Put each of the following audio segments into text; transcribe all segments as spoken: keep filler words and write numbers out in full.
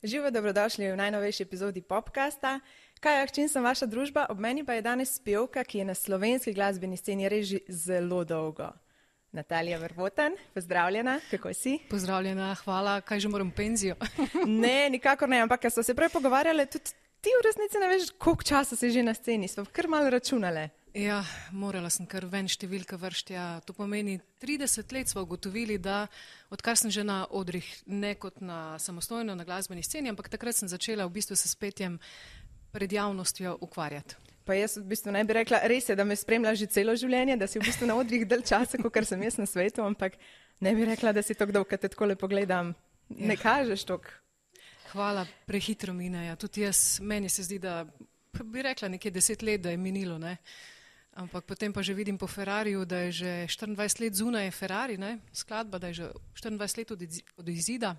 Živo, dobrodošli v najnovejši epizodi Popcasta. Kajak, čim sem vaša družba, ob meni pa je danes pevka, ki je na slovenski glasbeni sceni res že zelo dolgo. Natalija Vervoten, pozdravljena, kako si? Pozdravljena, hvala, kaj že moram penzijo? Ne, nikakor ne, ampak ker so se prej pogovarjali, tudi ti v resnici ne veš, koliko časa si že na sceni, smo kar malo računale. Ja, morala sem kar ven številka vrštja. To pomeni, trideset let smo ugotovili, da odkar sem že na odrih, ne kot na samostojno na glasbeni sceni, ampak takrat sem začela v bistvu se s petjem pred javnostjo ukvarjati. Pa jaz v bistvu ne bi rekla, res je, da me spremlja že celo življenje, da si v bistvu na odrih del časa, kot sem jaz na svetu, ampak ne bi rekla, da si tako dolgo, kad te takole pogledam, ne ja. Kažeš toliko. Hvala, prehitro mine. Ja. Tudi jaz, meni se zdi, da bi rekla nekje deset let, da je minilo, ne. Ampak potem pa že vidim po Ferrariju, da je že štiriindvajset let zunaj Ferrari, ne, skladba, da je že štiriindvajset let od, od izida.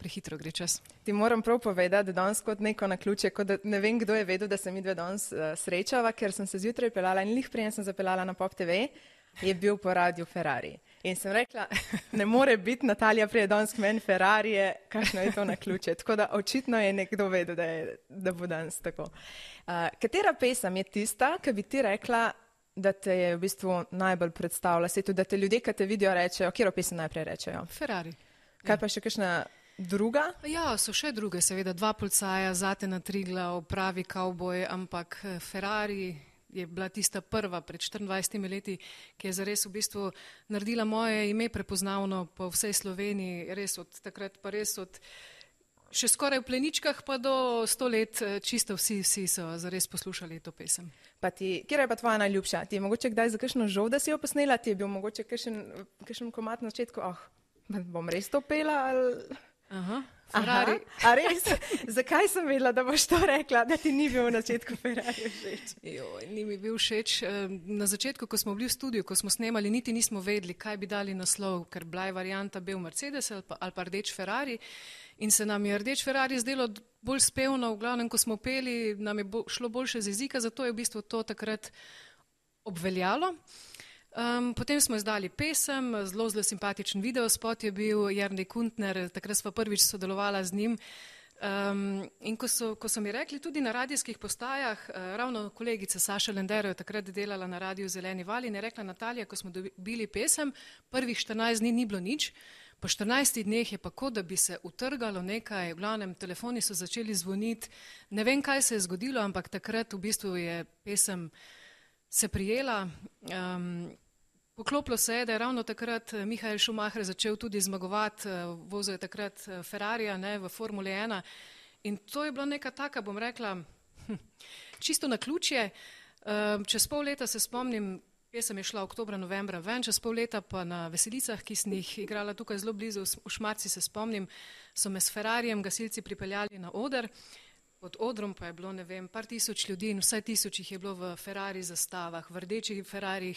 Prehitro gre čas. Ti moram prav povedati, da danes kot neko naključje, kot da ne vem, kdo je vedel, da se mi dve danes uh, srečava, ker sem se zjutraj peljala in lih prijem sem zapeljala na Pop T V, je bil po radiju Ferrari. In sem rekla, ne more biti Natalija prije danes k meni Ferrarije, kakšno je to naključje. Tako da očitno je nekdo vedel, da, je, da bo danes tako. Uh, katera pesem je tista, ki bi ti rekla, da te je v bistvu najbolj predstavila svetu, da te ljudje, ki te vidijo, rečejo, katero pesem najprej rečejo? Ferrari. Kaj ja. Pa še kakšna druga? Ja, so še druge, seveda, dva policaja, Zate na Triglav, pravi kavboj, ampak Ferrari je bila tista prva pred štiriindvajsetimi leti, ki je zares v bistvu naredila moje ime prepoznavno po vsej Sloveniji, res od takrat pa res od še skoraj v pleničkah pa do sto let čisto vsi, vsi so zares poslušali to pesem. Pa ti, kjer je pa tvoja najljubša? Ti je mogoče kdaj za kakšno žal, da si jo posnela? Ti je bil mogoče kakšen, kakšen komad na začetku? Oh, bom res to pela ali... Aha, Ferrari. Aha, a res? Zakaj sem vedela, da boš to rekla, da ti ni bil v začetku Ferrari všeč? Joj, ni mi bil všeč. Na začetku, ko smo bili v studiu, ko smo snemali, niti nismo vedeli, kaj bi dali naslov, ker bila je varianta bel Mercedes ali pa, ali pa rdeč Ferrari. In se nam je rdeč Ferrari zdelo bolj spevno, v glavnem, ko smo peli, nam je bo, šlo boljše z jezika, zato je v bistvu to takrat obveljalo. Um, potem smo izdali pesem, zelo, zelo simpatičen videospot je bil, Jernej Kuntner, takrat sva prvič sodelovala z njim. Um, in ko so, ko so mi rekli tudi na radijskih postajah, uh, ravno kolegica Saša Lendero je takrat delala na radiju Zeleni val in je rekla, Natalija, ko smo dobili pesem, prvih štirinajst dni ni bilo nič, po štirinajstih dneh je pa kot, da bi se utrgalo nekaj, v glavnem telefoni so začeli zvoniti, ne vem, kaj se je zgodilo, ampak takrat v bistvu je pesem se prijela. Um, Poklopilo se je, da je ravno takrat Michael Schumacher začel tudi zmagovati, vozil je takrat Ferrarija, ne, v Formuli ena in to je bila neka taka, bom rekla, hm, čisto naključje. Čez pol leta se spomnim, pesem je šla oktobra, novembra ven, čez pol leta pa na veselicah, ki sem jih igrala tukaj zelo blizu, v Šmarci se spomnim, so me s Ferrarijem gasilci pripeljali na oder. Pod odrom pa je bilo, ne vem, par tisoč ljudi in vsaj tisoč jih je bilo v Ferrari zastavah, v rdečih Ferrarih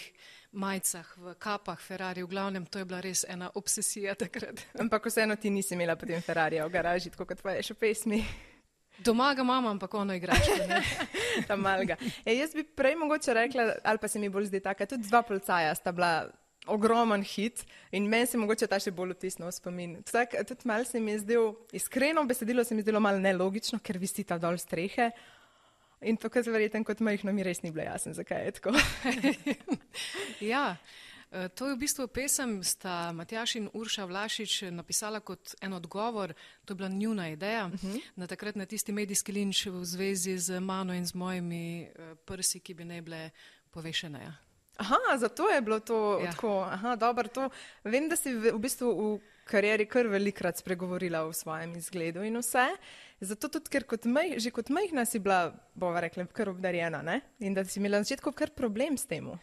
majcah, v kapah Ferrari, v glavnem, to je bila res ena obsesija takrat. Ampak vseeno ti nisi imela potem Ferrarija v garaži, tako kot tvoje še pesmi. Doma ga imam, ampak ono igračko, ne. Ta malga. E, jaz bi prej mogoče rekla, ali pa se mi bolj zdi taka, tudi dva policaja sta bila ogromen hit in meni se mogoče ta še bolj vtisnil v spomin. Tak, tudi malo se mi je zdel, iskreno besedilo se mi je zdelo malo nelogično, ker visita dol strehe in to, kar verjetno kot majhno mi res ni bilo jasno, zakaj je tako. Ja, to je v bistvu pesem, sta Matjaž in Urša Vlašič napisala kot en odgovor, to je bila njuna ideja, uh-huh. na takrat na tisti medijski linč v zvezi z mano in z mojimi prsi, ki bi ne bile povešene, ja. Aha, zato je bilo to ja. Tako, aha, dobro, to, vem, da si v, v bistvu v karieri kar velikrat spregovorila o svojem izgledu in vse, zato tudi, ker kot maj, že kot majhna si bila, bova rekla, kar obdarjena, ne? In da si imela na začetku kar problem s temu.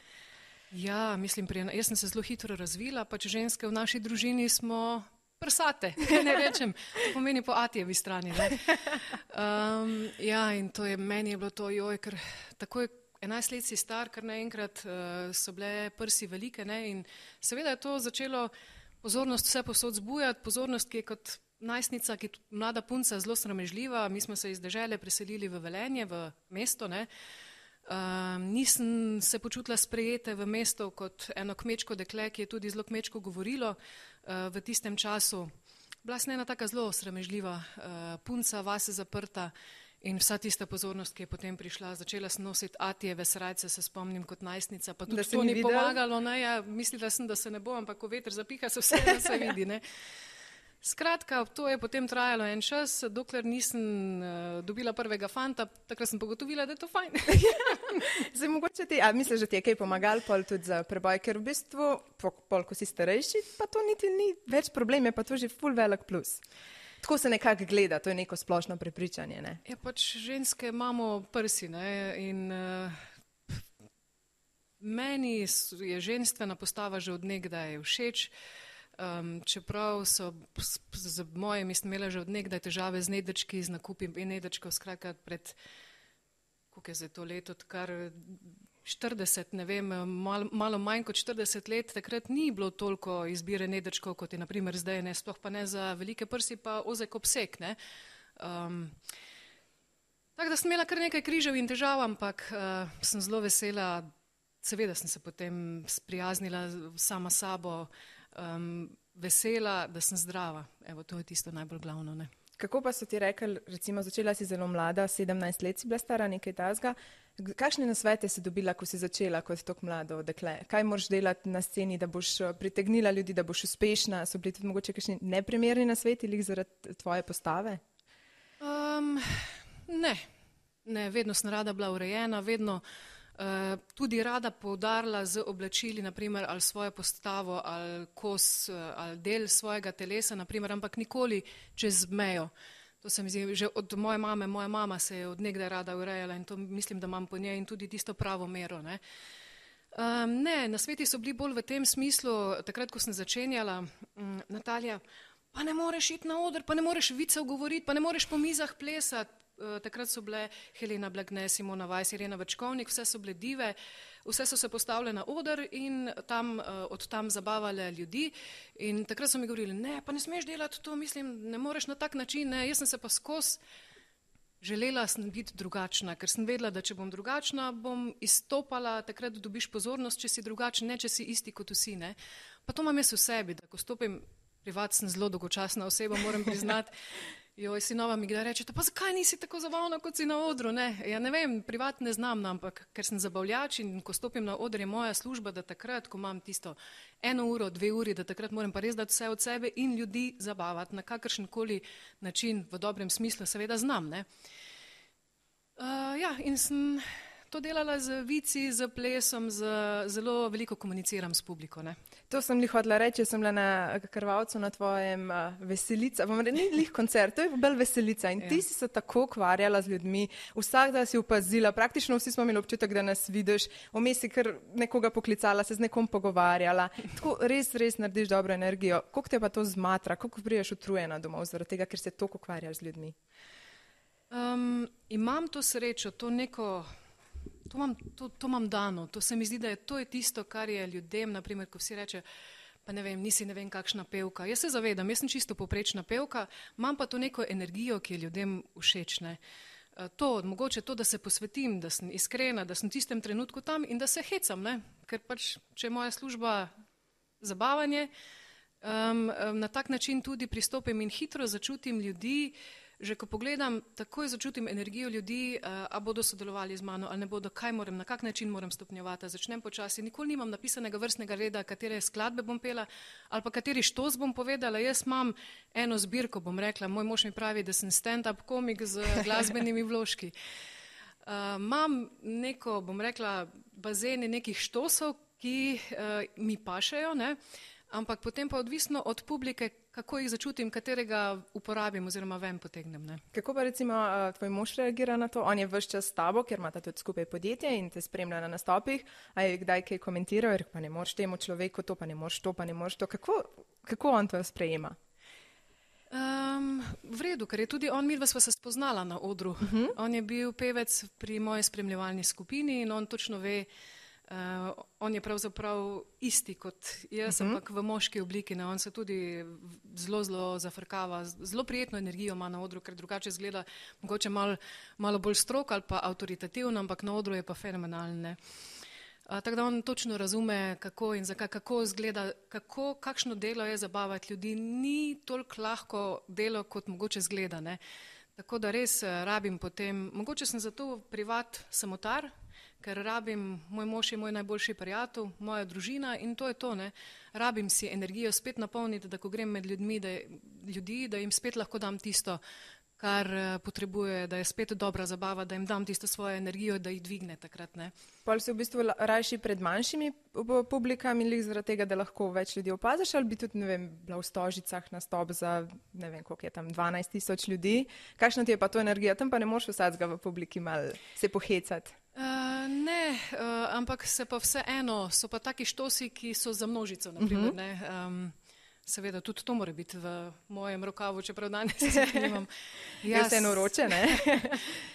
Ja, mislim, pri, jaz sem se zelo hitro razvila, pač ženske v naši družini smo prsate, ne rečem, to pomeni po atijevi strani, ne? Um, ja, in to je, meni je bilo to, joj, ker tako je enajst let si star, kar naenkrat uh, so bile prsi velike, ne, in seveda je to začelo pozornost vse posod zbujati, pozornost, ki je kot najstnica, ki je mlada punca zelo sramežljiva, mi smo se iz dežele preselili v Velenje, v mesto, ne, uh, nisem se počutila sprejete v mesto kot eno kmečko dekle, ki je tudi zelo kmečko govorilo uh, v tistem času. bila sem ena taka zelo sramežljiva uh, punca, vase zaprta in vsa tista pozornost, ki je potem prišla, začela sem nositi Atijeve srajce, se spomnim kot najstnica, pa tudi to ni videl? pomagalo, ne, ja, mislila sem, da se ne bo, ampak ko veter zapiha, se vse da se vidi, ne. Skratka, to je potem trajalo en čas, dokler nisem uh, dobila prvega fanta, takrat sem pogotovila, da je to fajn. Zdaj, mogoče ti, a misliš, da ti je kaj pomagal pol tudi za preboj, ker v bistvu, pol, ko si starejši, pa to niti ni več problem, je pa to že ful velik plus. Tako se nekako gleda, to je neko splošno prepričanje, ne? Ja, pač ženske imamo prsi, ne, in uh, meni je ženstvena postava že od nekdaj všeč. Um, čeprav so z mojimi imela že od nekdaj težave z nedečki, z nakupi nedečkov, skratka pred, koliko je zdaj to leto, kar štirideset, ne vem, malo, malo manj kot štirideset let, takrat ni bilo toliko izbire nedečkov, kot je na primer zdaj, ne, sploh pa ne za velike prsi, pa ozek obseg, ne. Um, tako da sem imela kar nekaj križev in težav, ampak uh, sem zelo vesela, seveda sem se potem sprijaznila sama sabo, Um, vesela, da sem zdrava. Evo, to je tisto najbolj glavno, ne. Kako pa so ti rekli, recimo začela si zelo mlada, sedemnajst let si bila stara, nekaj tazga. Kakšne nasvete si dobila, ko si začela kot tako mlado dekle? Kaj moraš delati na sceni, da boš pritegnila ljudi, da boš uspešna? So bili tudi mogoče kakšni neprimerni nasveti lih zaradi tvoje postave? Um, ne. Ne, vedno sem rada bila urejena, vedno Uh, tudi rada poudarila z oblačili, naprimer, ali svojo postavo, ali kos, ali del svojega telesa, naprimer, ampak nikoli čez mejo. To se mi zdi, že od moje mame, moja mama se je od nekdaj rada urejala in to mislim, da imam po njej in tudi tisto pravo mero, ne. Um, ne, nasveti so bili bolj v tem smislu, takrat, ko sem začenjala, um, Natalija, pa ne moreš iti na oder, pa ne moreš vicev govoriti, pa ne moreš po mizah plesati. Uh, takrat so bile Helena Blagne, Simona Weiss, Irena Večkovnik, vse so bile dive, vse so se postavile na oder in tam, uh, od tam zabavale ljudi in takrat so mi govorili, ne, pa ne smeš delati to, mislim, ne moreš na tak način, ne, jaz sem se pa skos želela sem biti drugačna, ker sem vedela, da če bom drugačna, bom izstopala, takrat dobiš pozornost, če si drugačen, ne, če si isti kot vsi, ne. Pa to imam jaz v sebi, da ko stopim, privat sem zelo dolgočasna oseba, moram priznati, joj, sinova mi kdaj reče, pa zakaj nisi tako zabavna, kot si na odru, ne? Ja ne vem, privat ne znam, ampak ker sem zabavljač in ko stopim na oder je moja služba, da takrat, ko imam tisto eno uro, dve uri, da takrat moram pa res dati vse od sebe in ljudi zabavati na kakršenkoli način, v dobrem smislu, seveda znam, ne? Uh, ja, in sem to delala z vici, z plesom, z, zelo veliko komuniciram s publiko, ne? To sem li hodila reči, sem bila na Krvavcu na tvojem uh, veselica, bom reči, ni lih koncert, to je bolj veselica in ja. Ti si se tako ukvarjala z ljudmi, vsak da si opazila, praktično vsi smo imeli občutek, da nas vidiš, vmes si kar nekoga poklicala, se z nekom pogovarjala, tako res, res narediš dobro energijo. Koliko te pa to zmatra, koliko priješ utrujena domov zaradi tega, ker se toliko ukvarjaš z ljudmi? Um, imam to srečo, to neko... To imam, to, to imam dano, to se mi zdi, da je to je tisto, kar je ljudem, naprimer, ko vsi reče, pa ne vem, nisi ne vem kakšna pevka. Jaz se zavedam, jaz sem čisto povprečna pevka, imam pa to neko energijo, ki je ljudem všeč, ne. To, mogoče to, da se posvetim, da sem iskrena, da sem v tistem trenutku tam in da se hecam, ne, ker pač, če je moja služba zabavanje, um, na tak način tudi pristopim in hitro začutim ljudi. Že ko pogledam, takoj začutim energijo ljudi, uh, a bodo sodelovali z mano, ali ne bodo, kaj moram, na kak način moram stopnjevati, začnem počasi, nikoli nimam napisanega vrstnega reda, katere skladbe bom pela, ali pa kateri štos bom povedala, jaz imam eno zbirko, bom rekla, moj mož mi pravi, da sem stand-up komik z glasbenimi vložki. Uh, imam neko, bom rekla, bazene nekih štosov, ki uh, mi pašejo, ne, ampak potem pa odvisno od publike, kako jih začutim, katerega uporabim oziroma ven potegnem, ne. Kako pa recimo tvoj mož reagira na to? On je ves čas s tabo, ker imata tudi skupaj podjetje in te spremlja na nastopih, a je kdaj kaj komentiral, pa ne moreš temu človeku to, pa ne moreš to, pa ne moreš to. Kako, kako on to sprejema? Um, v redu, ker je tudi on, midva sva se spoznala na odru. Uh-huh. On je bil pevec pri moji spremljevalni skupini in on točno ve, Uh, on je pravzaprav isti kot jaz, uh-huh. ampak v moški obliki, ne, on se tudi zelo, zelo zafrkava, zelo prijetno energijo ima na odru, ker drugače izgleda mogoče malo, malo bolj strok ali pa avtoritativno, ampak na odru je pa fenomenalne. Uh, tako da on točno razume, kako in zakaj, kako izgleda, kako, kakšno delo je zabavati ljudi. Ni toliko lahko delo, kot mogoče zgleda, ne. Tako da res uh, rabim potem, mogoče sem zato privat samotar, ker rabim, moj mož je moj najboljši prijatelj, moja družina in to je to, ne. Rabim si energijo spet napolniti, da ko grem med ljudmi, da, ljudi, da jim spet lahko dam tisto, kar potrebuje, da je spet dobra zabava, da jim dam tisto svojo energijo, da jih dvigne takrat, ne. Pol si v bistvu rajši pred manjšimi publikami, lih zaradi tega, da lahko več ljudi opaziš, ali bi tudi, ne vem, bila v Stožicah nastop za, ne vem, koliko je tam, dvanajst tisoč ljudi. Kakšna ti je pa to energija? Tam pa ne moreš vsakega v publiki malo se pohecati. Uh, ne, uh, ampak se pa vseeno, so pa taki štosi, ki so za množico, naprimer, uh-huh. ne. Um, seveda, tudi to mora biti v mojem rokavu, čeprav danes nimam. Ja, je vseeno vroče, ne?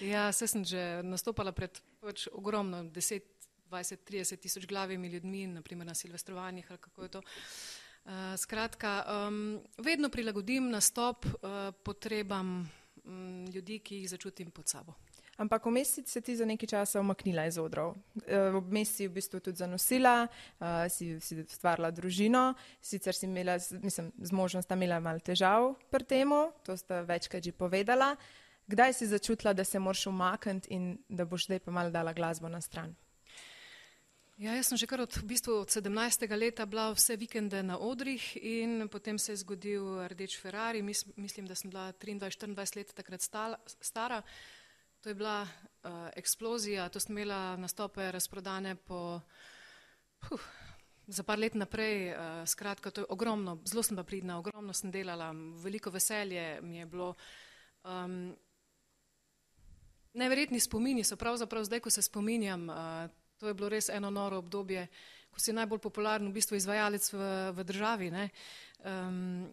Ja, se sem že nastopala pred pač ogromno, deset, dvajset, trideset tisoč glavimi ljudmi, naprimer na silvestrovanjih, ali kako je to. Uh, skratka, um, vedno prilagodim nastop uh, potrebam um, ljudi, ki jih začutim pod sabo. Ampak vmes si se ti za nekaj časa umaknila iz odrov. Vmes si v bistvu tudi zanosila, uh, si, si stvarila družino, sicer si imela, mislim, z možem sta imela malo težav pri temu, to sta večkrat že povedala. Kdaj si začutila, da se moraš umakniti in da boš zdaj pa malo dala glasbo na stran? Ja, jaz sem že kar od, v bistvu od sedemnajstega leta bila vse vikende na odrih in potem se je zgodil Rdeč Ferrari, Mis, mislim, da sem bila triindvajset štiriindvajset let takrat stala, stara. To je bila uh, eksplozija, to sem imela nastope razprodane po, huh, za par let naprej, uh, skratka, to je ogromno, zelo sem pa pridna, ogromno sem delala, veliko veselje mi je bilo. Um, neverjetni spomini so pravzaprav zdaj, ko se spominjam, uh, to je bilo res eno noro obdobje, ko si najbolj popularen v bistvu izvajalec v, v državi, ne, um,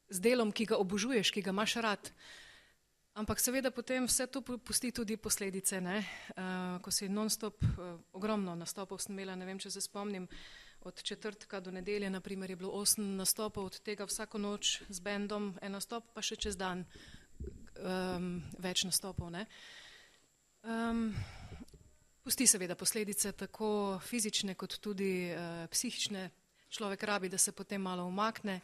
z delom, ki ga obožuješ, ki ga imaš rad. Ampak seveda potem vse to pusti tudi posledice, ne? Uh, ko si non-stop, uh, ogromno nastopov sem imela, ne vem, če se spomnim, od četrtka do nedelje, naprimer, je bilo osem nastopov, od tega vsako noč z bendom en nastop, pa še čez dan um, več nastopov, ne? Um, pusti seveda posledice, tako fizične kot tudi uh, psihične. Človek rabi, da se potem malo umakne.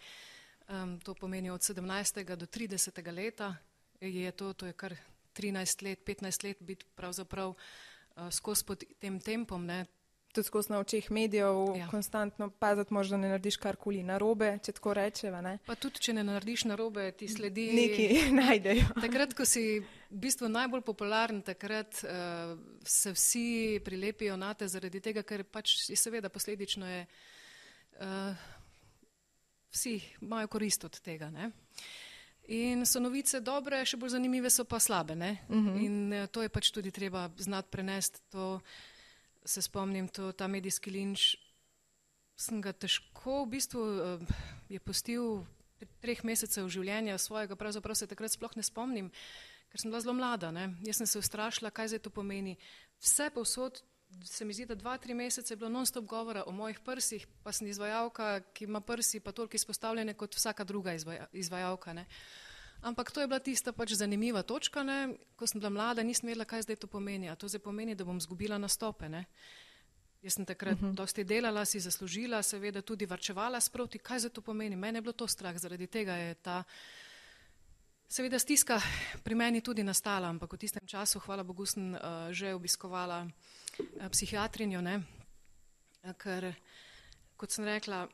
Um, to pomeni od sedemnajstega do tridesetega leta. Je to, to je kar trinajst let, petnajst let biti pravzaprav uh, skozi pod tem tempom, ne. Tudi skozi na očeh medijev, ja. Konstantno paziti, možda ne narediš karkoli narobe, če tako rečeva, ne. Pa tudi, če ne narediš narobe, ti sledi... Neki najdejo. Takrat, ko si v bistvu najbolj popularen, takrat uh, se vsi prilepijo na te zaradi tega, ker pač seveda posledično je, uh, vsi imajo korist od tega, ne. In so novice dobre, še bolj zanimive so pa slabe, ne? Uh-huh. In to je pač tudi treba znati prenesti. To se spomnim, to, ta medijski linč, sem ga težko, v bistvu je pustil treh mesecev življenja svojega, pravzaprav se takrat sploh ne spomnim, ker sem bila zelo mlada, ne? Jaz sem se ustrašila, kaj zdaj to pomeni. Vse povsod, se mi zdi, da dva, tri mesece je bilo non-stop govora o mojih prsih, pa sem izvajalka, ki ima prsi pa toliko izpostavljene kot vsaka druga izvaja, izvajalka, ne. Ampak to je bila tista pač zanimiva točka, ne. Ko sem bila mlada, nisem vedela, kaj zdaj to pomeni. A to zdaj pomeni, da bom zgubila nastope, ne. Jaz sem takrat uh-huh. dosti delala, si zaslužila, seveda tudi varčevala sproti, kaj zdaj to pomeni. Mene je bilo to strah, zaradi tega je ta seveda stiska pri meni tudi nastala, ampak v tistem času, hvala Bogu, sem uh, že obiskovala uh, psihiatrinjo, ne, ker, kot sem rekla,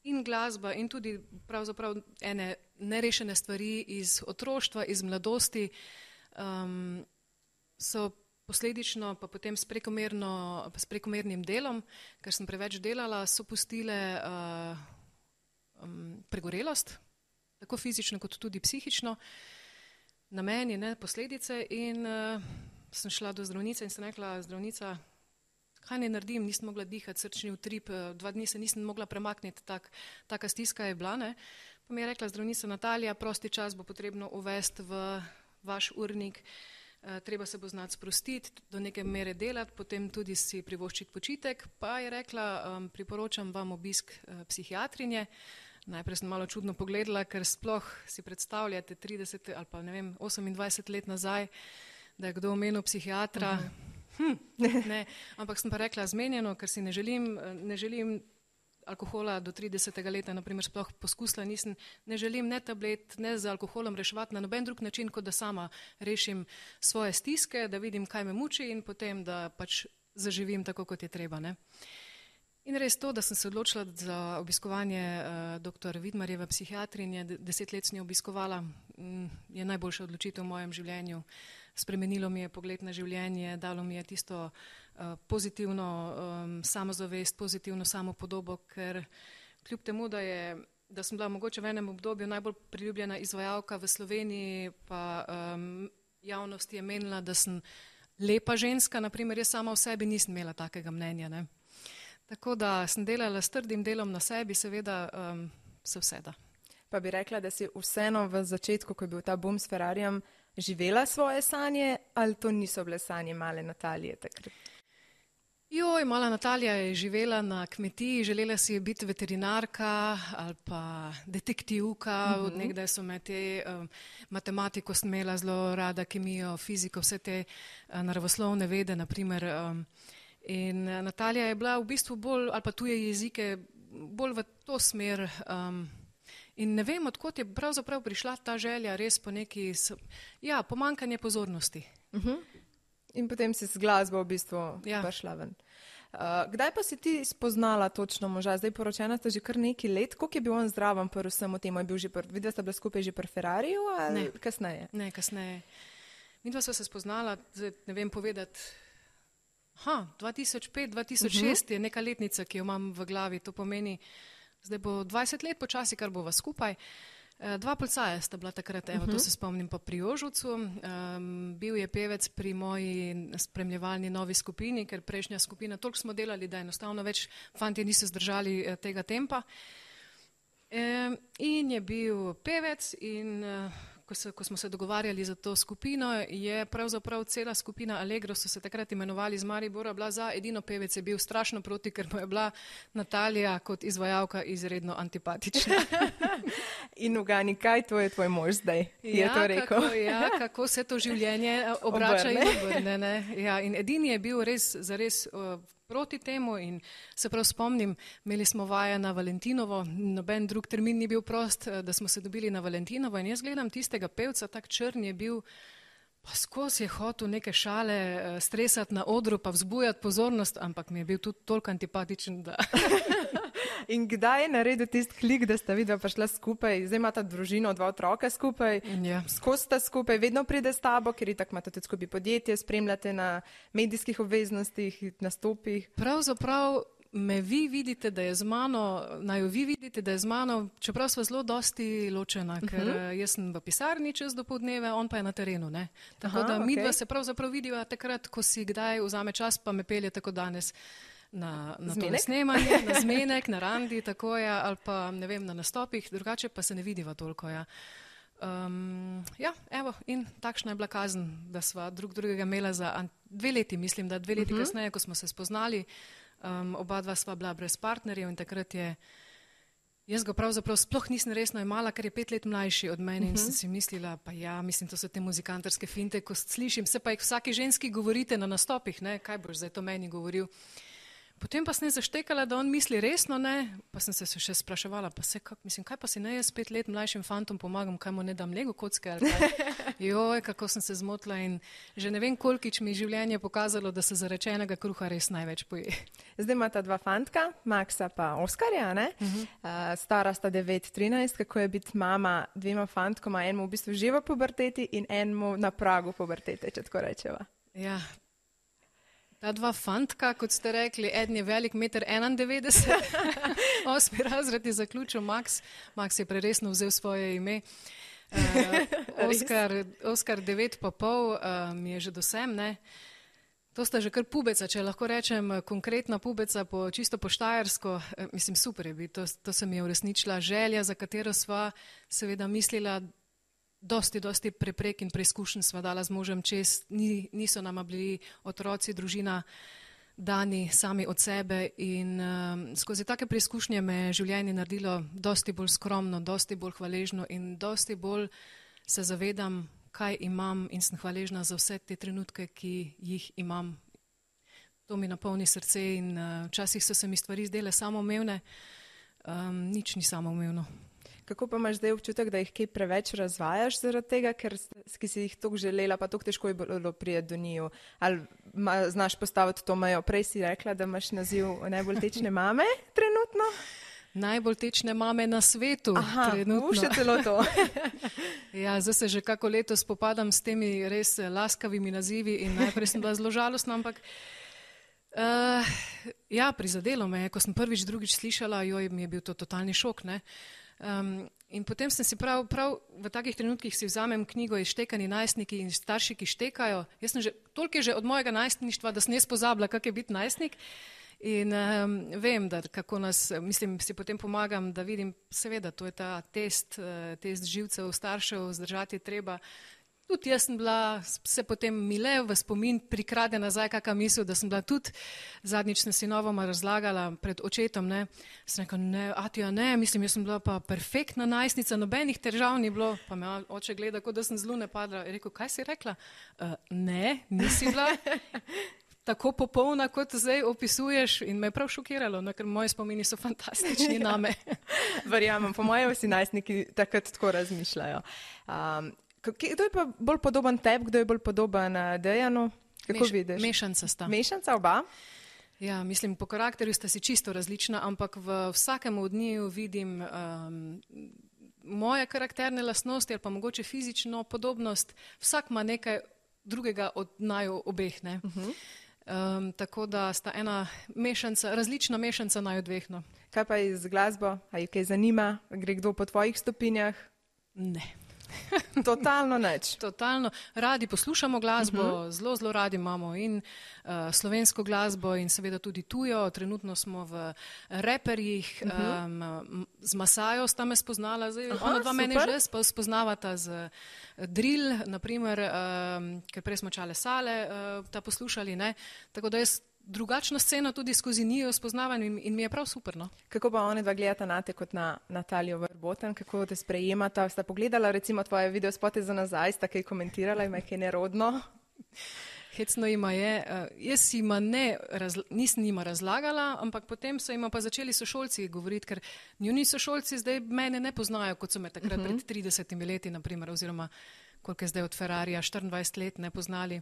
in glasba in tudi pravzaprav ene nerešene stvari iz otroštva, iz mladosti um, so posledično pa potem s, s prekomernim delom, ker sem preveč delala, so pustile uh, um, pregorelost, tako fizično kot tudi psihično, na meni, ne, posledice in uh, sem šla do zdravnice in sem rekla, zdravnica, kaj ne naredim, nisem mogla dihati, srčni utrip, dva dni se nisem mogla premakniti, tak, taka stiska je bila, ne. Pa mi je rekla zdravnica Natalija, prosti čas bo potrebno uvesti v vaš urnik, e, treba se bo znati sprostiti, do neke mere delati, potem tudi si privoščiti počitek, pa je rekla, um, priporočam vam obisk uh, psihiatrinje. Najprej sem malo čudno pogledala, ker sploh si predstavljate trideset ali pa ne vem, osemindvajset let nazaj, da je kdo omenil psihiatra, uh-huh. Hm, ne, ampak sem pa rekla zmenjeno, ker si ne želim, ne želim alkohola do tridesetega leta, naprimer sploh poskusila nisem, ne želim ne tablet, ne z alkoholom reševati na noben drug način, kot da sama rešim svoje stiske, da vidim, kaj me muči in potem, da pač zaživim tako, kot je treba. Ne. In res to, da sem se odločila za obiskovanje uh, doktor Vidmarjeve psihiatrinje, deset let sem jo obiskovala, m, je najboljša odločitev v mojem življenju. Spremenilo mi je pogled na življenje, dalo mi je tisto uh, pozitivno um, samozavest, pozitivno samopodobo, ker kljub temu, da, je, da sem bila mogoče v enem obdobju najbolj priljubljena izvajalka v Sloveniji, pa um, javnost je menila, da sem lepa ženska, naprimer jaz sama v sebi nisem imela takega mnenja. Ne. Tako da sem delala s trdim delom na sebi, seveda um, se vse da. Pa bi rekla, da si vseeno v začetku, ko je bil ta boom s Ferrarijem, živela svoje sanje, ali to niso bile sanje male Natalije takrat? Joj, mala Natalija je živela na kmetiji, želela si je biti veterinarka ali pa detektivka, uh-huh. Od nekdaj so me te um, matematiko sem imela zelo rada, kemijo, fiziko, vse te uh, naravoslovne vede, naprimer. Um, in uh, Natalija je bila v bistvu bolj, ali pa tuje jezike, bolj v to smer. Um, In ne vem, odkot je pravzaprav prišla ta želja res po neki, ja, pomankanje pozornosti. Uh-huh. In potem si z glasbo v bistvu ja. prišla ven. Uh, kdaj pa si ti spoznala točno moža? Zdaj poročena sta že kar neki let. Koliko je bil on zdraven pri vsemu temu? Je bil že pr... Videla sta bila skupaj že pri Ferrariju ali ne. kasneje? Ne, kasneje. Mi dva sva se spoznala, zdaj ne vem povedati, ha, dva tisoč pet, dva tisoč šest uh-huh. je neka letnica, ki jo imam v glavi, to pomeni, zdaj bo dvajset let počasi, kar bova skupaj. E, dva policaja sta bila takrat, evo, uh-huh. to se spomnim pa pri Jožovcu. Um, bil je pevec pri moji spremljevalni novi skupini, ker prejšnja skupina, toliko smo delali, da enostavno več fantje niso zdržali eh, tega tempa. E, in je bil pevec in uh, ko, se, ko smo se dogovarjali za to skupino, je pravzaprav cela skupina Allegro, so se takrat imenovali z Maribora, bila za, edino pevec je bil strašno proti, ker mu je bila Natalija kot izvajalka izredno antipatična. In ugani, kaj to je tvoj mož zdaj? Ja, je to rekel? Kako, ja, kako se to življenje obrača in obrne. Ne? Ja, in edini je bil res, zares uh, proti temu in se prav spomnim, imeli smo vaje na Valentinovo, noben drug termin ni bil prost, da smo se dobili na Valentinovo in jaz gledam tistega pevca, tak črn je bil, pa skozi je hotel neke šale stresati na odru, pa vzbujati pozornost, ampak mi je bil tudi toliko antipatičen, da... In kdaj je naredil tisti klik, da sta vidva prišla skupaj, zdaj imata družino, dva otroka skupaj, ja. Skozi sta skupaj, vedno pride s tabo, ker itak imate tudi skupaj podjetje, spremljate na medijskih obveznostih, nastopih. Pravzaprav me vi vidite, da je z mano, naj jo vi vidite, da je z mano, čeprav sva zelo dosti ločena, ker uh-huh. jaz sem v pisarni čez dopoldneve, on pa je na terenu, ne. Tako Aha, da okay. midva se pravzaprav vidiva takrat, ko si kdaj vzame čas, pa me pelje tako danes. Na, na to snemanje, na zmenek, na randi, tako je, ali pa ne vem, na nastopih, drugače pa se ne vidiva toliko. Ja, um, ja evo, in takšna je bila kazen, da sva drug drugega imela za an, dve leti, mislim, da dve leti uh-huh. kasneje, ko smo se spoznali, um, oba dva sva bila brez partnerjev in takrat je, jaz ga pravzaprav sploh nisem resno imala, ker je pet let mlajši od mene uh-huh. in sem si mislila, pa ja, mislim, to so te muzikantarske finte, ko slišim, se pa jih vsaki ženski govorite na nastopih, ne, kaj boš zdaj to meni govoril. Potem pa sem zaštekala, da on misli resno, ne, pa sem se še spraševala, pa se, kak, mislim, kaj pa si ne jaz pet let mlajšim fantom pomagam, kaj mu ne dam lego kocke ali kaj. Joj, kako sem se zmotila in že ne vem, kolkič mi življenje pokazalo, da se zarečenega kruha res največ poje. Zdaj imata dva fantka, Maxa pa Oskarja, ne? Uh-huh. Uh, stara sta devet, trinajst, kako je biti mama dvema fantkoma, enemu v bistvu že v puberteti in enemu na pragu pubertete, če tako rečeva. Ja, ta dva fantka, kot ste rekli, eden je velik meter enaindevetdeset, osmi razred je zaključil Max, Max je preresno vzel svoje ime, uh, Oskar, Oskar devet pa pol uh, mi je že dosem, ne. To sta že kar pubeca, če lahko rečem konkretna pubeca, po, čisto po štajersko, uh, mislim super je biti, to, to se mi je uresničila želja, za katero sva seveda mislila, dosti, dosti preprek in preizkušenj sva dala z možem čez, Ni, niso nama bili otroci, družina dani sami od sebe in um, skozi take preizkušnje me je življenje naredilo dosti bolj skromno, dosti bolj hvaležno in dosti bolj se zavedam, kaj imam in sem hvaležna za vse te trenutke, ki jih imam To mi napolni srce in uh, včasih so se mi stvari zdele samoumevne, um, nič ni samoumevno. Kako pa imaš zdaj občutek, da jih kaj preveč razvajaš zaradi tega, ker ki si jih toliko želela, pa toliko težko je bilo prijeti do njiju? Ali ma, znaš postaviti to mejo? Prej si rekla, da imaš naziv najbolj tečne mame trenutno? Najbolj tečne mame na svetu. Aha, trenutno. Še celo to. Ja, zdaj se že kako leto spopadam s temi res laskavimi nazivi in najprej sem bila zelo žalostna, ampak uh, ja, prizadelo me je, ko sem prvič, drugič slišala, joj, mi je bil to totalni šok, ne. Um, in potem sem si prav, prav v takih trenutkih si vzamem knjigo Izštekani najstniki in starši, ki štekajo. Jaz sem že, toliko je že od mojega najstništva, da sem jaz pozabila, kak je biti najstnik. In um, vem, da kako nas, mislim, si potem pomagam, da vidim, seveda, to je ta test, uh, test živcev staršev, zdržati treba. Tudi jaz sem bila, se potem mi le v spomin prikrade nazaj kakšna misel, da sem bila tudi, zadnjič sem sinovoma razlagala pred očetom, ne, sem rekla, ne, Atija, ne, mislim, jaz sem bila pa perfektna najstnica, nobenih težav ni bilo, pa me oče gleda, kot da sem z lune padla, je rekel, kaj si rekla? Uh, ne, nisi bila tako popolna, kot zdaj opisuješ in me je prav šokiralo, no, ker moji spomini so fantastični name. Verjamem, po mojem vsi najstniki takrat tako razmišljajo. Um, Kdo je pa bolj podoben tebi, kdo je bolj podoben Dejanu? Kako Meš, vidiš? Mešanca sta. Mešanca oba? Ja, mislim, po karakterju sta si čisto različna, ampak v vsakem od njiju vidim um, moje karakterne lastnosti ali pa mogoče fizično podobnost. Vsak ima nekaj drugega od naju obeh, ne. Uh-huh. Um, tako da sta ena mešanca, različna mešanca naju dveh, no. Kaj pa iz glasbo? A jih kaj zanima? Gre kdo po tvojih stopinjah? Ne. Totalno nič. Totalno. Radi poslušamo glasbo, uh-huh. zelo, zelo radi imamo in uh, slovensko glasbo in seveda tudi tujo. Trenutno smo v reperjih, uh-huh. um, z Masajo sta me spoznala, zdaj Aha, ona dva super. Mene že spoznavata z drill, naprimer, um, ker prej smo Čale Sale uh, ta poslušali, ne, tako da jaz drugačno sceno tudi skozi njiju spoznavam in, in mi je prav super, no. Kako pa one dva gledata na te kot na Natalijo Verboten, kako te sprejemata? Sta pogledala recimo tvoje videospote za nazaj, sta kaj komentirala, ima kaj nerodno? Hecno ima je, uh, jaz ima ne, razla, nisem njima razlagala, ampak potem so ima pa začeli sošolci govoriti, ker njuni sošolci zdaj mene ne poznajo, kot so me takrat uh-huh. pred tridesetimi leti, naprimer, oziroma koliko je zdaj od Ferrarija, štiriindvajset let ne poznali.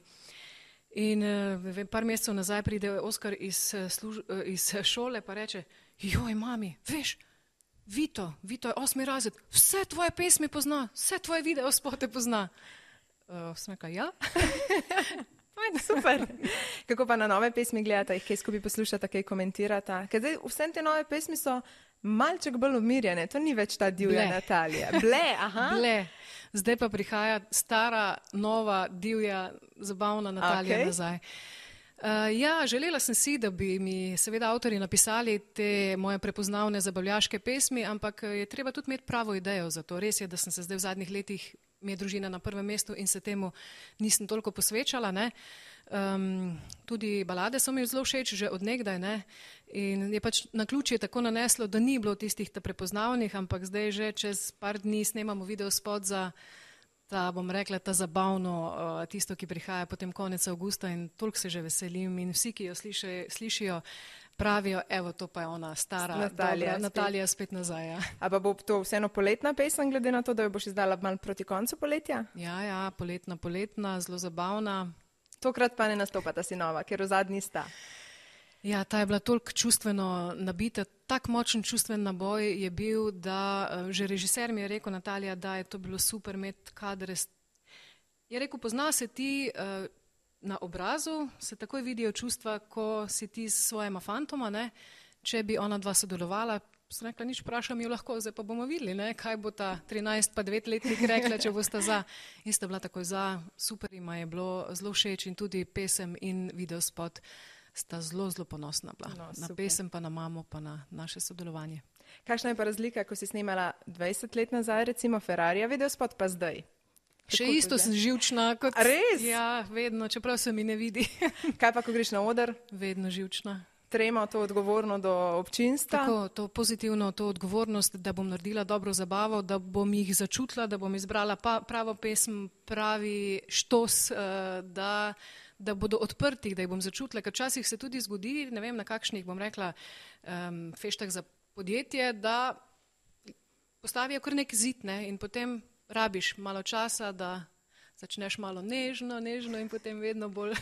In uh, par mesecev nazaj pride Oskar iz, služ, uh, iz šole pa reče, joj mami, veš, Vito, Vito je osmi razred, vse tvoje pesmi pozna, vse tvoje videospote pozna. Uh, sem rekla, ja. Fajn, super. Kako pa na nove pesmi gledata, jih kaj skupaj poslušata, kaj komentirata? Ker zdaj vse te nove pesmi so malček bolj umirjene, to ni več ta divja Ble. Natalija. Ble, aha. Ble. Zdaj pa prihaja stara, nova, divja, zabavna Natalija okay. nazaj. Uh, ja, želela sem si, da bi mi seveda avtorji napisali te moje prepoznavne zabavljaške pesmi, ampak je treba tudi imeti pravo idejo za to. Res je, da sem se zdaj v zadnjih letih, mi je družina na prvem mestu in se temu nisem toliko posvečala, ne. Um, tudi balade so mi zelo všeč že od nekdaj, ne. In je pač naključje tako naneslo, da ni bilo tistih ta prepoznavnih, ampak zdaj že čez par dni snemamo videospot za ta, bom rekla, ta zabavno, uh, tisto, ki prihaja potem konec avgusta in toliko se že veselim in vsi, ki jo sliši, slišijo, pravijo, evo, to pa je ona stara Natalija, dobra, Natalija spet nazaj. Ja. A pa bo to vseeno poletna pesem, glede na to, da jo boš izdala malo proti koncu poletja? Ja, ja, poletna, poletna, zelo zabavna. Tokrat pa ne nastopata sinova, ker v zadnji sta. Ja, ta je bila toliko čustveno nabita, tak močen čustven naboj je bil, da že režiser mi je rekel, Natalija, da je to bilo super imeti kadre. Je rekel, pozna se ti uh, na obrazu, se takoj vidijo čustva, ko si ti s svojima fantoma, ne? Če bi ona dva sodelovala, sem rekla, nič vprašam jo lahko, zdaj pa bomo videli, ne? Kaj bo ta trinajst pa devet letnik rekla, če bosta za. In sta bila takoj za, super ima je bilo, zelo všeč in tudi pesem in videospot sta zelo, zelo ponosna bila. No, na pesem pa na mamo pa na naše sodelovanje. Kakšna je pa razlika, ko si snemala dvajset let nazaj, recimo Ferrarija videospot, pa zdaj? Še Tako isto sem živčna kot... A res? Ja, vedno, čeprav se mi ne vidi. Kaj pa, ko greš na oder? Vedno živčna. Trema to odgovorno do občinstva? Tako, to pozitivno, to odgovornost, da bom naredila dobro zabavo, da bom jih začutila, da bom izbrala pa, pravo pesem, pravi štos, da, da bodo odprti, da jih bom začutila, ker včasih se tudi zgodi, ne vem, na kakšnih, bom rekla, um, feštah za podjetje, da postavijo kar nek zid, ne, in potem rabiš malo časa, da začneš malo nežno, nežno in potem vedno bolj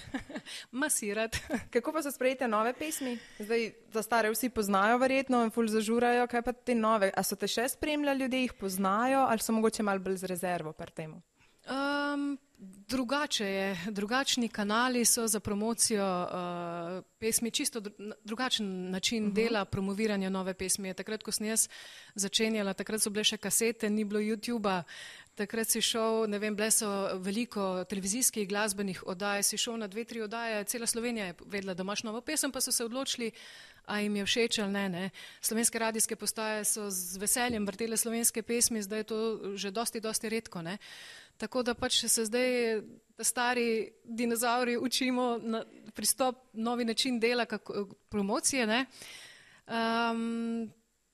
masirati. Kako pa so sprejete nove pesmi? Zdaj, za stare vsi poznajo verjetno in ful zažurajo, kaj pa te nove? A so te še spremljali ljudje, jih poznajo ali so mogoče malo bolj z rezervo pri temu? Um, drugače je, drugačni kanali so za promocijo uh, pesmi, čisto drugačen način uh-huh. dela promoviranja nove pesmi. Takrat, ko sem jaz začenjala, takrat so bile še kasete, ni bilo YouTubea, takrat si šel, ne vem, bile so veliko televizijskih glasbenih oddaj, si šel na dve, tri oddaje, cela Slovenija je vedela, da imaš novo pesem, pa so se odločili, a jim je všeč ali ne, ne. Slovenske radijske postaje so z veseljem vrtele slovenske pesmi, zdaj je to že dosti, dosti redko, ne. Tako da pač se zdaj stari dinozauri učimo na pristop, novi način dela, kako, promocije, ne. Um,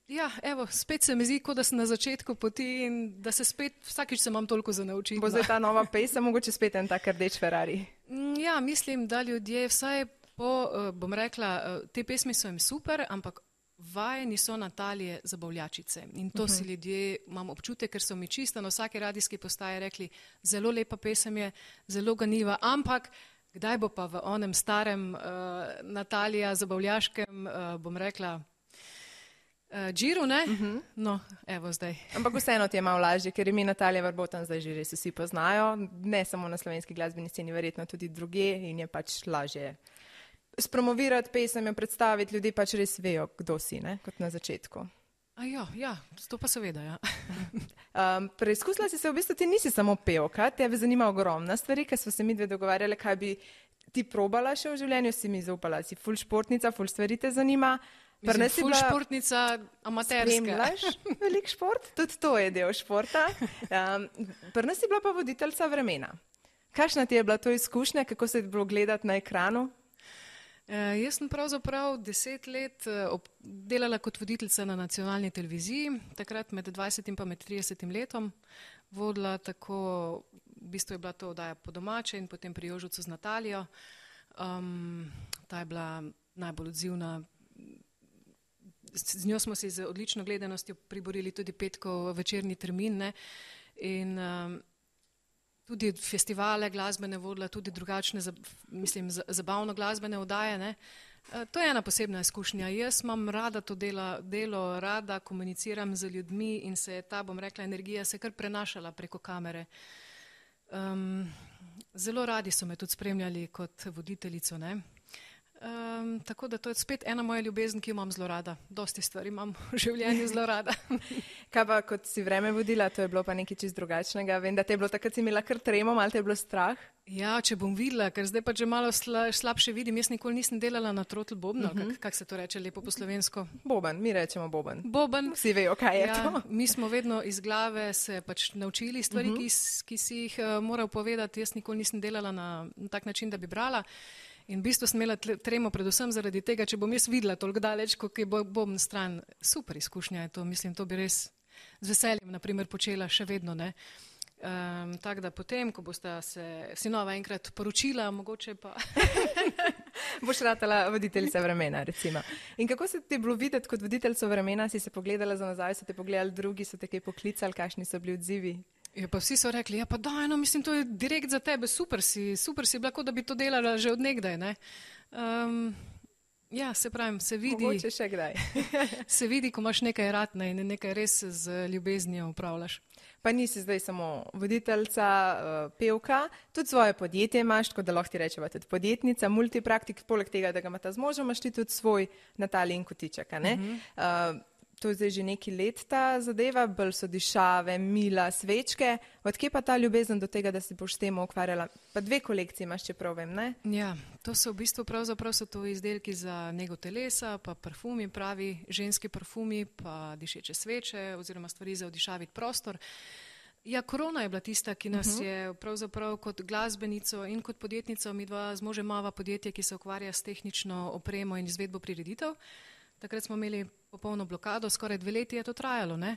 ja, evo, spet se mi zdi, kot da sem na začetku poti in da se spet, vsakič se imam toliko za naučiti. Bo zdaj ta nova pesem, mogoče spet en tak rdeč Ferrari? Ja, mislim, da ljudje vsaj po, bom rekla, te pesmi so jim super, ampak vajeni so Natalije Zabavljačice in to uh-huh. si ljudje, imam občutek, ker so mi čisto na vsake radijski postaji rekli, zelo lepa pesem je, zelo ganljiva, ampak kdaj bo pa v onem starem uh, Natalija Zabavljaškem, uh, bom rekla, uh, džiru, ne? Uh-huh. No, evo zdaj. Ampak vseeno ti je malo lažje, ker imi Natalija Varbotan zdaj že res vsi poznajo, ne samo na slovenski glasbeni sceni, verjetno tudi drugje in je pač lažje spromovirati pesem in predstaviti, ljudi pač res vejo, kdo si, ne, kot na začetku. A jo, ja, to pa seveda, ja. um, preizkusila si se, v bistvu ti nisi samo pevka, tebe zanima ogromna stvari, ker smo se mi dve dogovarjali, kaj bi ti probala še v življenju, si mi zaupala, si ful športnica, ful stvari te zanima. Mislim, ful bila... športnica, amaterska. Spremljaš velik šport, tudi to je del športa. Um, Prna si bila pa voditeljca Vremena. Kakšna ti je bila to izkušnja, kako se je bilo gledati na ekranu? Uh, jaz sem pravzaprav deset let uh, ob, delala kot voditeljica na nacionalni televiziji, takrat med dvajsetim pa med tridesetim letom, vodila tako, v bistvu je bila to oddaja Po domače in potem Pri Jožucu z Natalijo. Um, ta je bila najbolj odzivna. Z, z njo smo si z odlično gledanostjo priborili tudi petkov večerni termin, ne, in um, tudi festivale glasbene vodila, tudi drugačne, mislim, zabavno glasbene oddaje, ne. To je ena posebna izkušnja. Jaz imam rada to dela, delo, rada komuniciram z ljudmi in se je ta, bom rekla, energija se kar prenašala preko kamere. Um, zelo radi so me tudi spremljali kot voditeljico, ne. Um, tako da to je spet ena moja ljubezen, ki jo imam zelo rada. Dosti stvari imam v življenju zelo rada. Kaj pa, kot si Vreme vodila, to je bilo pa nekaj čist drugačnega. Vem, da te je bilo takrat, si imela kar tremo, malo te je bilo strah. Ja, če bom videla, ker zdaj pa že malo sla, slabše vidim. Jaz nikoli nisem delala na trotl bobno, uh-huh. kak, kak se to reče lepo po slovensko? Boben, mi rečemo boben. Boben. Vsi vejo, kaj je ja, to. Mi smo vedno iz glave se pač naučili stvari, uh-huh. ki, ki si jih uh, moral povedati. Jaz nikoli nisem delala na, na tak način, da bi brala. In v bistvu sem imela tremo predvsem zaradi tega, če bom jaz videla toliko daleč, kot je bom stran. Super izkušnja je to, mislim, to bi res z veseljem, na primer, počela še vedno, ne. Um, tako da potem, ko bosta se sinova enkrat poročila, mogoče pa... Boš ratala voditeljica Vremena, recimo. In kako se ti je bilo videti kot voditeljica Vremena? Si se pogledala za nazaj, so te pogledali drugi, so te kaj poklicali, kakšni so bili odzivi? Ja, pa vsi so rekli, ja pa daj, no, mislim, to je direkt za tebe, super si, super si bila, kot da bi to delala že od nekdaj, ne. Um, ja, se pravim, se vidi... Mogoče še kdaj. Se vidi, ko imaš nekaj ratne in nekaj res z ljubeznijo upravljaš. Pa nisi zdaj samo voditeljica, pevka, tudi svoje podjetje imaš, tako da lahko ti rečeva tudi podjetnica, multipraktik, poleg tega, da ga imata z možem, imaš ti tudi svoj Natalin kotiček, ne? Uh-huh. Uh, To je zdaj že neki let ta zadeva, bolj so dišave, mila, svečke. Odkje pa ta ljubezen do tega, da si boš s tem ukvarjala? Pa dve kolekciji imaš, čeprav vem, ne? Ja, to so v bistvu pravzaprav so to izdelki za nego telesa, pa parfumi, pravi ženski parfumi, pa dišeče sveče oziroma stvari za odišaviti prostor. Ja, korona je bila tista, ki nas uh-huh. je pravzaprav kot glasbenico in kot podjetnico, mi dva z možem imava podjetje, ki se ukvarja s tehnično opremo in izvedbo prireditev. Takrat smo imeli popolno blokado, skoraj dve leti je to trajalo, ne.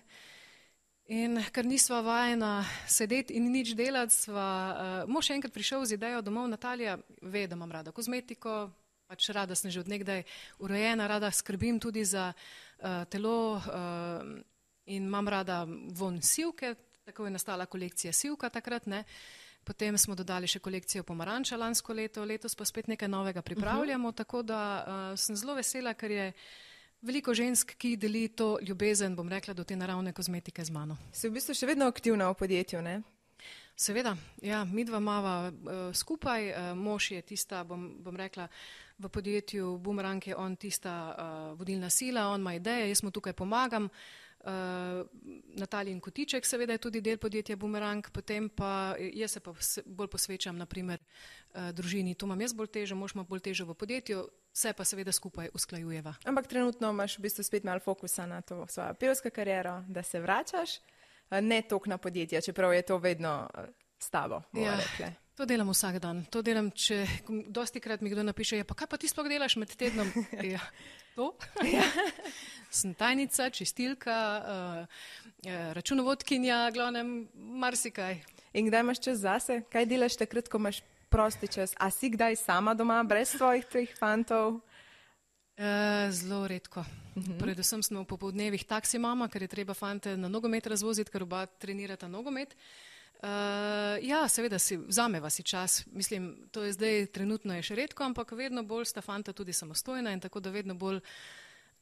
In ker nisva vajena sedeti in nič delati, sva, uh, mož je enkrat prišel z idejo domov, Natalija ve, da imam rada kozmetiko, pač rada sem že od nekdaj urejena, rada skrbim tudi za uh, telo uh, in imam rada von sivke, tako je nastala kolekcija sivka takrat, ne. Potem smo dodali še kolekcijo pomaranča lansko leto, letos pa spet nekaj novega pripravljamo, uh-huh. tako da uh, sem zelo vesela, ker je veliko žensk, ki deli to ljubezen, bom rekla, do te naravne kozmetike z mano. Si v bistvu še vedno aktivna v podjetju, ne? Seveda, ja, mi dva mava uh, skupaj, uh, mož je tista, bom, bom rekla, v podjetju Boomerang je on tista uh, vodilna sila, on ima ideje, jaz mu tukaj pomagam. Uh, Natalijin Kotiček seveda je tudi del podjetja Boomerang, potem pa jaz se pa bolj posvečam naprimer uh, družini, to imam jaz bolj težo, mož ima bolj težo v podjetju, vse pa seveda skupaj usklajujeva. Ampak trenutno imaš v bistvu spet malo fokusa na to svojo pevsko kariero, da se vračaš, uh, ne toliko na podjetja, čeprav je to vedno uh, s tabo, bomo ja, rekle. To delam vsak dan, to delam, če dosti krat mi kdo napiše, ja, pa kaj pa ti sploh delaš med tednom? Ja, to? Ja. Sem tajnica, čistilka, uh, računovodkinja, glavnem, marsikaj. In kdaj imaš čas zase? Kaj delaš takrat, ko imaš prosti čas? A si kdaj sama doma, brez svojih treh fantov? Uh, zelo redko. Uh-huh. Predvsem smo v popoldnevih taksi mama, ker je treba fante na nogomet razvoziti, ker oba trenirata nogomet. Uh, ja, seveda si, vzameva si čas, mislim, to je zdaj trenutno je še redko, ampak vedno bolj sta fanta tudi samostojna in tako da vedno bolj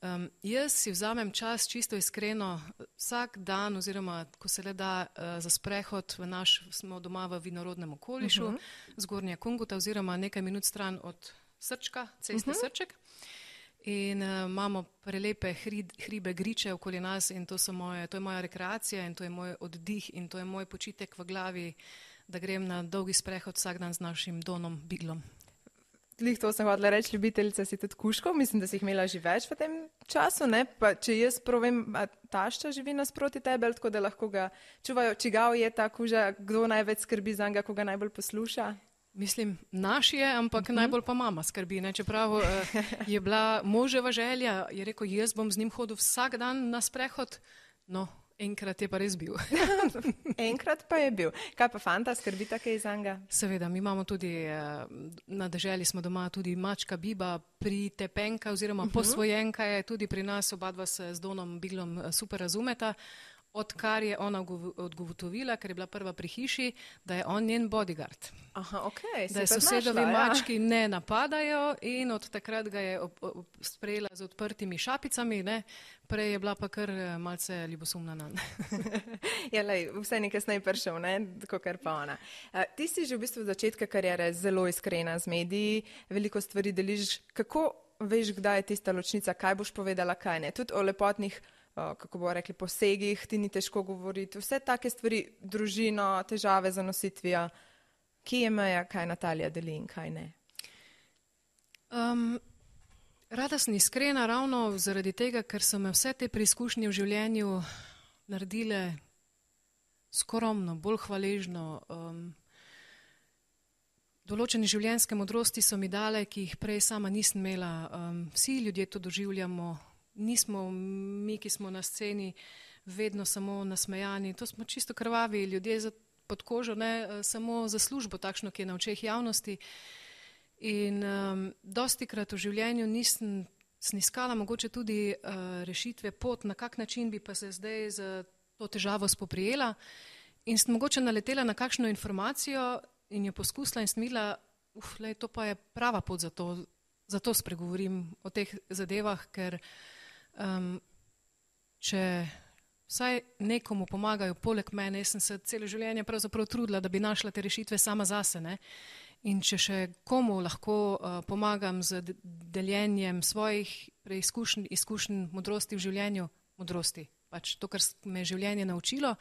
um, jaz si vzamem čas čisto iskreno vsak dan oziroma ko se le da uh, za sprehod v naš, smo doma v vinorodnem okolišu, uh-huh. Zgornja Kunguta oziroma nekaj minut stran od Srčka, ceste uh-huh. Srček. In uh, imamo prelepe hrid, hribe, griče okoli nas in to, so moje, to je moja rekreacija in to je moj oddih in to je moj počitek v glavi, da grem na dolgi sprehod vsak dan z našim Donom Biglom. Lih to sem hodila reči, ljubiteljica si tudi kužkov, mislim, da si jih imela že več v tem času, ne? Pa če jaz provem, tašča živi nasproti tebe, tako da lahko ga čuvajo, čigav je ta kuža, kdo največ skrbi za njega, ko ga najbolj posluša? Mislim, naš je, ampak uh-huh. najbolj pa mama skrbi, ne? Čeprav uh, je bila moževa želja, je rekel, jaz bom z njim hodil vsak dan na sprehod, no, enkrat je pa res bil. Enkrat pa je bil. Kaj pa fanta, skrbi takej za njega? Seveda, mi imamo tudi, uh, na deželi smo doma tudi mačka Biba, pritepenka oziroma uh-huh. posvojenka je tudi pri nas, oba dva se z Donom Biglom super razumeta. Odkar je ona odgotovila, ker je bila prva pri hiši, da je on njen bodyguard. Aha, okay. Da je sosedovi ja. mački ne napadajo in od takrat ga je ob, ob, sprejela z odprtimi šapicami, ne? Prej je bila pa kar malce ljubosumna nanj. Ja, lej, vse nekaj kasneje prišel, ne, kakor pa ona. Uh, ti si že v bistvu od začetka kariere zelo iskrena z mediji, veliko stvari deliš. Kako veš, kdaj je tista ločnica, kaj boš povedala, kaj ne? Tudi o lepotnih, uh, kako bo rekli, posegih, ti ni težko govoriti. Vse take stvari, družino, težave za nositvijo. Kje je meja, kaj Natalija deli in kaj ne? Um, rada sem iskrena ravno zaradi tega, ker so me vse te preizkušnje v življenju naredile skromno, bolj hvaležno. Um, določene življenjske modrosti so mi dale, ki jih prej sama nisem imela. Um, vsi ljudje to doživljamo, nismo mi, ki smo na sceni, vedno samo nasmejani. To smo čisto krvavi ljudje za pod kožo, ne samo za službo takšno, ki je na očeh javnosti. In um, dosti krat v življenju nisem sniskala mogoče tudi uh, rešitve pot, na kak način bi pa se zdaj z to težavo spoprijela. In sem mogoče naletela na kakšno informacijo in jo poskusila in sem videla, uf, lej, to pa je prava pot za to, za to spregovorim o teh zadevah, ker um, če vsaj nekomu pomagajo poleg mene, jaz sem se celo življenje pravzaprav trudila, da bi našla te rešitve sama zase, ne. In če še komu lahko uh, pomagam z deljenjem svojih preizkušenj, izkušenj, modrosti v življenju, modrosti, pač to, kar me je življenje naučilo,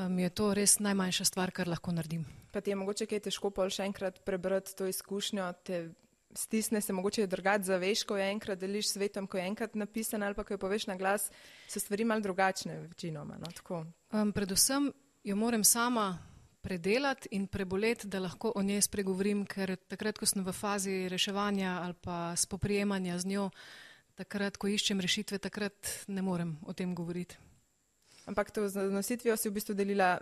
um, je to res najmanjša stvar, kar lahko naredim. Pa ti je mogoče kaj težko pol še enkrat prebrati to izkušnjo, te stisne se mogoče drugače zaveš, ko je enkrat deliš svetom, ko je enkrat napisan ali pa ko jo poveš na glas, so stvari malo drugačne večinoma, no, tako. Um, predvsem jo moram sama predelati in preboleti, da lahko o njej spregovorim, ker takrat, ko sem v fazi reševanja ali pa spoprijemanja z njo, takrat, ko iščem rešitve, takrat ne morem o tem govoriti. Ampak to z nositvijo si v bistvu delila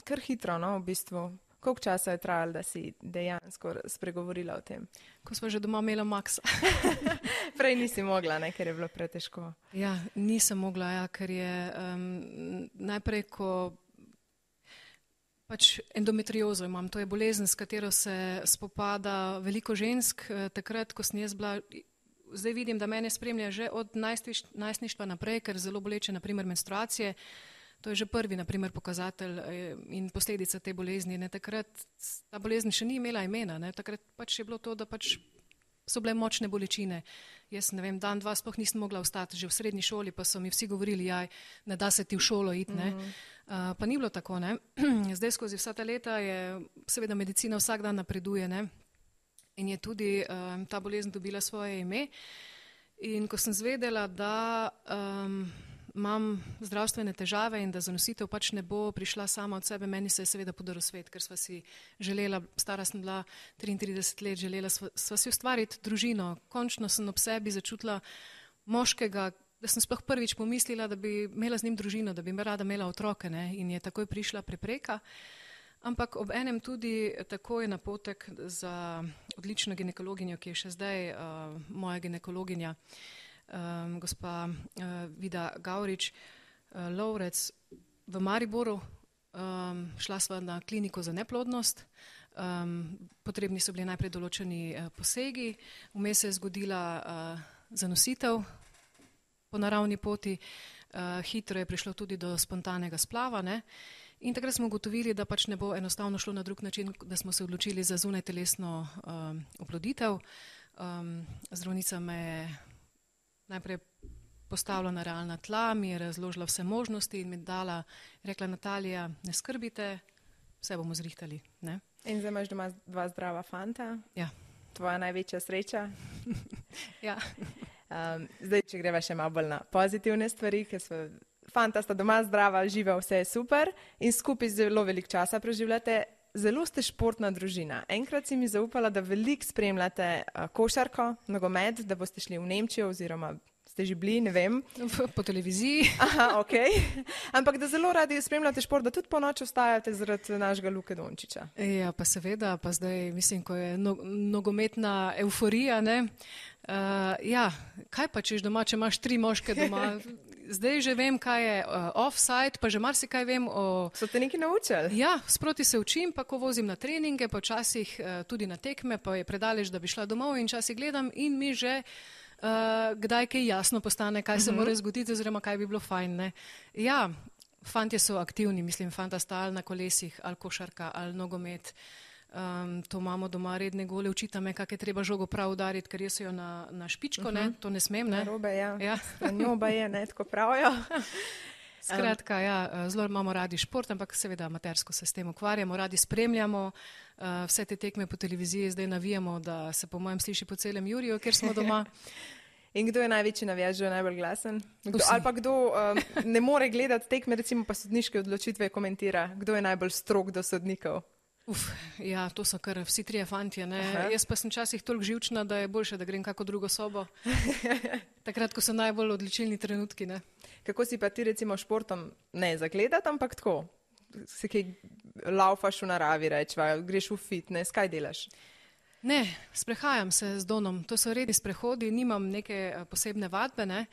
kar hitro, no, v bistvu. Koliko časa je trajalo, da si dejansko spregovorila o tem? Ko smo že doma imela Maxa. Prej nisi mogla, ne, ker je bilo pretežko. Ja, nisem mogla, ja, ker je um, najprej, ko pač endometriozo imam, to je bolezen, s katero se spopada veliko žensk. Takrat, ko sem jaz bila, zdaj vidim, da mene spremlja že od najstništva naprej, ker zelo boleče, naprimer menstruacije. To je že prvi, naprimer, pokazatelj in posledica te bolezni. Ne, takrat ta bolezen še ni imela imena. Ne, takrat pač je bilo to, da pač so bile močne bolečine. Jaz ne vem, dan, dva sploh nisem mogla vstati, že v srednji šoli pa so mi vsi govorili, jaj, ne da se ti v šolo iti. Ne. Mm. Uh, pa ni bilo tako. Ne. Zdaj skozi vsa ta leta je, seveda medicina vsak dan napreduje, ne. In je tudi um, ta bolezen dobila svoje ime. In ko sem zvedela, da um, imam zdravstvene težave in da zanositev pač ne bo prišla sama od sebe, meni se je seveda podaril svet, ker sva si želela, stara sem bila triintrideset let, želela sva, sva si ustvariti družino. Končno sem ob sebi začutila moškega, da sem sploh prvič pomislila, da bi imela z njim družino, da bi me rada imela otroke, ne, in je takoj prišla prepreka. Ampak ob enem tudi takoj napotek za odlično ginekologinjo, ki je še zdaj uh, moja ginekologinja, Um, gospa uh, Vida Gavrič, uh, Lovrec v Mariboru, um, šla sva na kliniko za neplodnost, um, potrebni so bili najprej določeni uh, posegi, vmes se je zgodila uh, zanositev po naravni poti, uh, hitro je prišlo tudi do spontanega splava, ne? In takrat smo ugotovili, da pač ne bo enostavno šlo na drug način, da smo se odločili za zunajtelesno um, oploditev. Um, zdravnica me je najprej postavila na realna tla, mi je razložila vse možnosti in mi dala, rekla, Natalija, ne skrbite, vse bomo zrihtali. Ne? In zdaj imaš doma dva zdrava fanta. Ja. Tvoja največja sreča. Ja. Um, zdaj, če greva še malo bolj na pozitivne stvari, ker so fanta sta doma zdrava, živa, vse je super in skupaj zelo veliko časa preživljate. Zelo ste športna družina. Enkrat si mi zaupala, da veliko spremljate uh, košarko, nogomet, da boste šli v Nemčijo oziroma ste že bili, ne vem. Po televiziji. Aha, ok. Ampak da zelo radi spremljate šport, da tudi po noči ostajate zaradi našega Luke Dončića. Ja, pa seveda, pa zdaj mislim, ko je no, nogometna euforija, ne. Uh, ja, kaj pa češ doma, če imaš tri moške doma? Zdaj že vem, kaj je uh, offside, pa že marsikaj vem o... So te nekaj naučili? Ja, sproti se učim, pa ko vozim na treninge, pa včasih uh, tudi na tekme, pa je predaleč, da bi šla domov in včasih gledam in mi že uh, kdaj kaj jasno postane, kaj se uh-huh. mora zgoditi oziroma kaj bi bilo fajn. Ne? Ja, fantje so aktivni, mislim, fanta sta ali na kolesih, ali košarka, ali nogomet. Um, to imamo doma redne gole, učita me, kak je treba žogo prav udariti, ker jaz jo na, na špičko, uh-huh. ne, to ne smem, ne. Narobe, ja. Ja. Njoba je, ne, tako pravijo. Skratka, ja, zelo imamo radi šport, ampak seveda amatersko se s tem ukvarjamo, radi spremljamo, uh, vse te tekme po televiziji zdaj navijamo, da se po mojem sliši po celem Juriju, kjer smo doma. In kdo je največji navijač, kdo je najbolj glasen? Kdo, ali pa kdo um, ne more gledati tekme, recimo pa sodniške odločitve komentira? Kdo je najbolj strog do sodnikov? Uf, ja, to so kar vsi trije fantje, ne. Jaz pa sem časih toliko živčna, da je boljše, da grem kako drugo sobo. Takrat, ko so najbolj odločilni trenutki, ne. Kako si pa ti recimo športom ne zagledati, ampak tako? Se kaj laufaš v naravi, rečva, greš v fitness, kaj delaš? Ne, sprehajam se z Donom, to so redni sprehodi, nimam neke posebne vadbe, ne,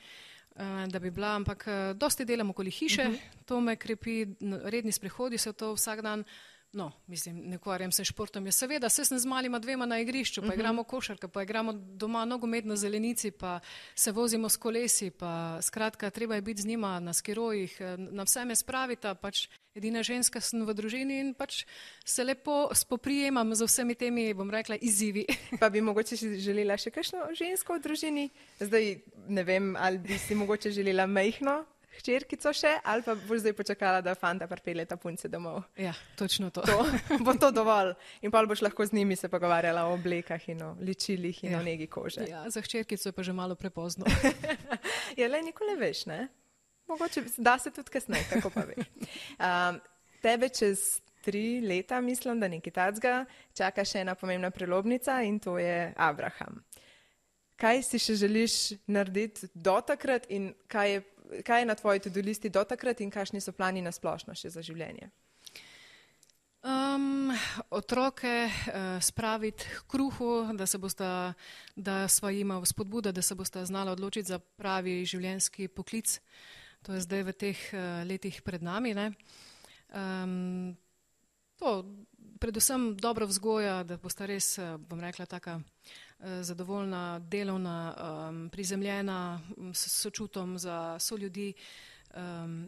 da bi bila, ampak dosti delam okoli hiše, uh-huh. to me krepi, redni sprehodi so to vsak dan. No, mislim, ne ukvarjam se športom. Ja, seveda, se sem z malima dvema na igrišču, pa uh-huh. igramo košarka, pa igramo doma nogomet na zelenici, pa se vozimo s kolesi, pa skratka, treba je biti z njima na skirojih, na vse me spravita, pač edina ženska sem v družini in pač se lepo spoprijemam z vsemi temi, bom rekla, izzivi. Pa bi mogoče želela še kakšno žensko v družini? Zdaj, ne vem, ali bi si mogoče želela majhno hčerkico še, ali pa boš zdaj počakala, da fanta pripeljeta punce domov. Ja, točno to. to. Bo to dovolj. In pa boš lahko z njimi se pogovarjala o oblekah in o ličilih in ja. o negi kože. Ja, za hčerkico je pa že malo prepozno. Ja, le nikoli veš, ne? Mogoče da se tudi kasneje, kako pa veš. Um, tebe čez tri leta, mislim, da nekaj tacga, čaka še ena pomembna prelomnica in to je Abraham. Kaj si še želiš narediti do takrat in kaj je kaj je na tvoji to-do listi do takrat in kakšni so plani na splošno še za življenje? Um, otroke uh, spraviti k kruhu, da se bosta, da sva jima spodbuda, da se bosta znala odločiti za pravi življenjski poklic. To je zdaj v teh uh, letih pred nami. Ne? Um, to, predvsem dobra vzgoja, da bosta res, uh, bom rekla, taka uh, zadovoljna, delovna, um, prizemljena, s sočutom za soljudi, um,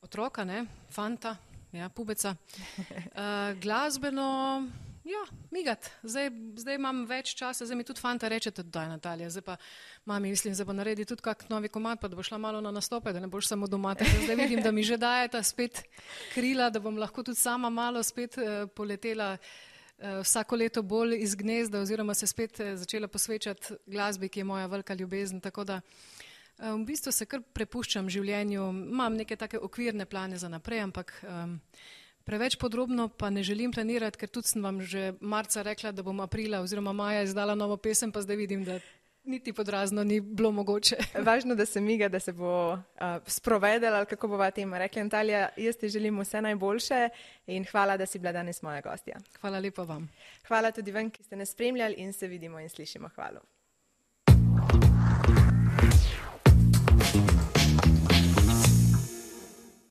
otroka, ne? Fanta. Ja, pubeca. Uh, glasbeno, ja, migat. Zdaj, zdaj imam več časa, zdaj mi tudi fanta reče, da je Natalija, zdaj pa mami, mislim, da bo naredi tudi kak novi komad, pa da bo šla malo na nastope, da ne boš samo doma. Zdaj vidim, da mi že dajeta spet krila, da bom lahko tudi sama malo spet uh, poletela uh, vsako leto bolj iz gnezda oziroma se spet uh, začela posvečati glasbi, ki je moja velika ljubezen, tako da v bistvu se kar prepuščam življenju, imam neke take okvirne plane za naprej, ampak um, preveč podrobno pa ne želim planirati, ker tudi sem vam že marca rekla, da bom aprila oziroma maja izdala novo pesem, pa zdaj vidim, da niti podrazno ni bilo mogoče. Važno, da se miga, da se bo uh, sprovedela, ali kako bova tema rekla. Natalija, jaz ti želim vse najboljše in hvala, da si bila danes moja gostja. Hvala lepa vam. Hvala tudi vam, ki ste nas spremljali in se vidimo in slišimo. Hvala.